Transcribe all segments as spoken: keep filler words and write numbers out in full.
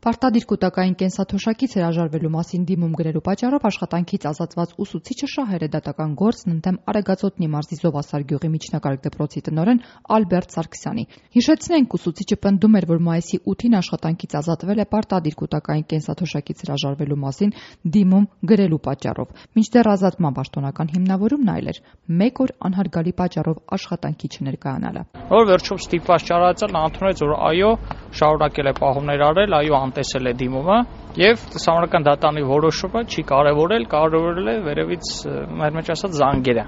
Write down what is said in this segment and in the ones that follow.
Պարտադիր կուտակային կենսաթոշակից հրաժարվելու մասին դիմում գրելու պատճառով աշխատանքից ազատված ուսուցիչը շահել է դատական գործն ընդդեմ Արեգածոտնի մարզի Զովասար գյուղի միջնակարգ դպրոցի տնօրեն Ալբերտ Սարգսյանի։ Հիշեցնենք, ուսուցիչը պնդում էր, որ մայիսի ութին աշխատանքից ազատվել է պարտադիր կուտակային կենսաթոշակից հրաժարվելու մասին դիմում գրելու պատճառով։ Մինչդեռ ազատման պաշտոնական հիմնավորումն այլ էր՝ մեկ օր անհարգալի պատճառով աշխատանքի չներկայանալը։ Որ վերջում ստիպված չարացել, նա ընդունեց, որ այո, շարունակել է պահումներ արել, այո, անտեսել է դիմումը եւ Սահմանադրական դատանի որոշումը չի կարեւորել, կարեւորել է վերևից մեր մեջ ասած զանգերը։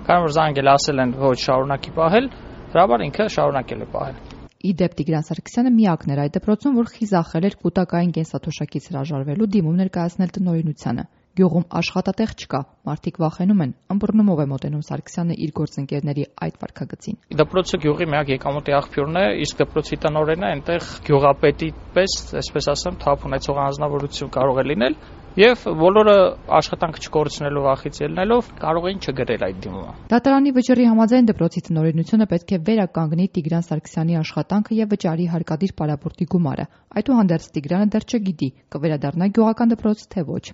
Քանի որ զանգել ասել են ոչ շարունակի պահել, հրաբար ինքը շարունակել է պահել։ Իդեպ Տիգրան Սարգսյանը միակն էր այդ դպրոցում, որ խիզախել էր կուտակային կենսաթոշակից հրաժարվելու դիմում ներկայացնել տնօրինությանը։ Գյուղում աշխատատեղ չկա, մարդիկ վախենում են, ըմբռնումով է մոտենում Սարգսյանը իր գործընկերների այդ վարքագծին։ Դպրոցը գյուղի միակ եկամուտի աղբյուրն է, իսկ դպրոցի տնօրենը այնտեղ գյուղապետի պես, այսպես ասեմ, թափ ունեցող անձնավորություն կարող է լինել, եւ բոլորը աշխատանքը չկորցնելու վախից ելնելով կարող էին չգրել այդ դիմումը։ Դատարանի վճռի համաձայն դպրոցի տնօրինությունը պետք է վերականգնի Տիգրան Սարգսյանի աշխատանքը եւ վճարի հարկադիր պարապորտի գումարը։ Այդուհանդերձ Տիգրանը դեռ չգիտի՝ կվերադառնա գյուղական դպրոց թե ոչ։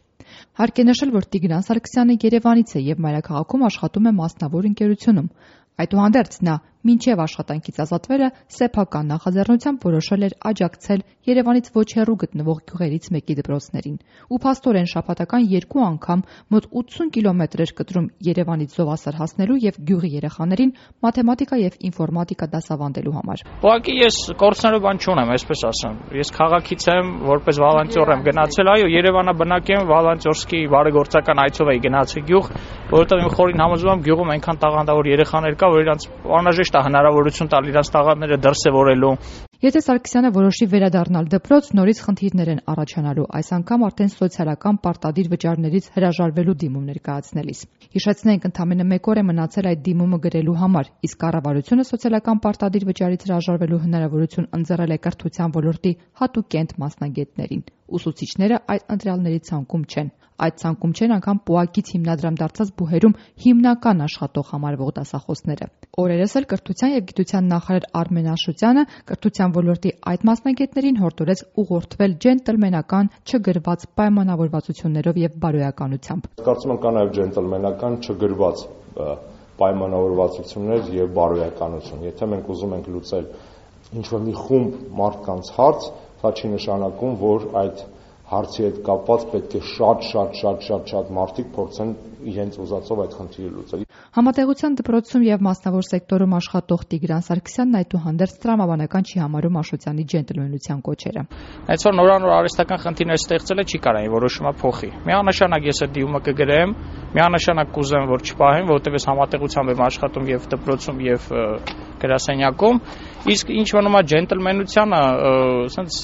Հարկ է նշել, որ Տիգրան Սարգսյանը Երևանից է եւ մայրաքաղաքում աշխատում է մասնավոր ընկերությունում։ Այդուհանդերձ նա մինչև աշխատանքից ազատվելը սեփական նախաձեռնությամբ որոշել էր աջակցել Երևանից ոչ հեռու գտնվող գյուղերից մեկի դպրոցներին ու փաստորեն շաբաթական երկու անգամ մոտ ութսուն կիլոմետր էր կտրում Երևանից Զովասար հասնելու եւ գյուղի երեխաներին մաթեմատիկա եւ ինֆորմատիկա դասավանդելու համար։ Ուղղակի ես կորցնելու բան չունեմ, այսպես ասեմ։ Ես քաղաքից եմ, որպես վոլոնտյոր եմ գնացել, այո, Երևանաբնակ եմ, վոլոնտյորսկի բարեգործական այցով էի գնացել գյուղ, որովհետեւ իմ խորին համոզում եմ գյուղում այնքան տաղանդավոր երեխաներ կա, որ իրանց անհրաժեշտ է հնարավորություն տալ իրանց տաղանդները դրսևորելու։ Եթե Սարգսյանը որոշի վերադառնալ դպրոց, նորից խնդիրներ են առաջանալու, այս անգամ արդեն սոցիալական պարտադիր վճարներից հրաժարվելու դիմում ներկայացնելիս։ Հիշեցնենք, ընդամենը մեկ օր է մնացել այդ դիմումը գրելու համար, իսկ կառավարությունը սոցիալական պարտադիր վճարից հրաժարվելու հնարավորություն ընձեռել է կրթության ոլորտի հատուկենտ մասնագետներին։ Ուսուցիչները այդ ընտրյալների ցանկում չեն։ Այդ ցանկում չեն անգամ պուակից հիմնադրամ դարձած բուհերում հիմնական աշխատող համարվող դասախոսները։ Օրերս էլ կրթության եւ գիտության նախարար Արմեն Աշոտյանը կրթության ոլորտի այդ մասնագետներին հորդորեց ուղղորդվել ջենտլմենական չգրված պայմանավորվածություններով եւ բարոյականությամբ։ Կարծում եմ կա նաեւ ջենտլմենական չգրված պայմանավորվածություններ եւ բարոյականություն։ Եթե մենք ուզում ենք լուծել ինչ-որ մի խումբ մարդկանց հարց, դա չի նշանակում, որ այդ հարցի հետ կապված պետք է շատ շատ շատ շատ շատ մարդիկ փորձեն իրենց ուզածով այդ խնդիրը լուծել։ Համատեղության դպրոցում եւ մասնավոր սեկտորում աշխատող Տիգրան Սարգսյանն այդուհանդերձ տրամաբանական չի համարում Աշոտյանի ջենտլմենության կոչերը։ Այս որ նորանոր արհեստական խնդիրներ ստեղծել է չի կարային որոշումը փոխի։ Միանշանակ ես այդ դիմումը կգրեմ, միանշանակ կուզեմ, որ չպահեմ, որովհետեւ ես համատեղությամբ եմ աշխատում եւ դպրոցում եւ գրասենյակում, իսկ ինչ մնում է ջենտլմենությանը, ասենց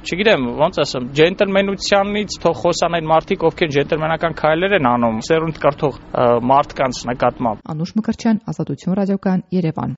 չգիտեմ, ոնց ասեմ, ջենտլմենությանից թող խոսան այն մարդիկ, ովքեր ջենտլմենական քայլեր են անում, սերունդ կրթող մարդկանց նկատմամբ։ Անուշ Մկրտչյան, Ազատություն ռադիոկայան, Երևան։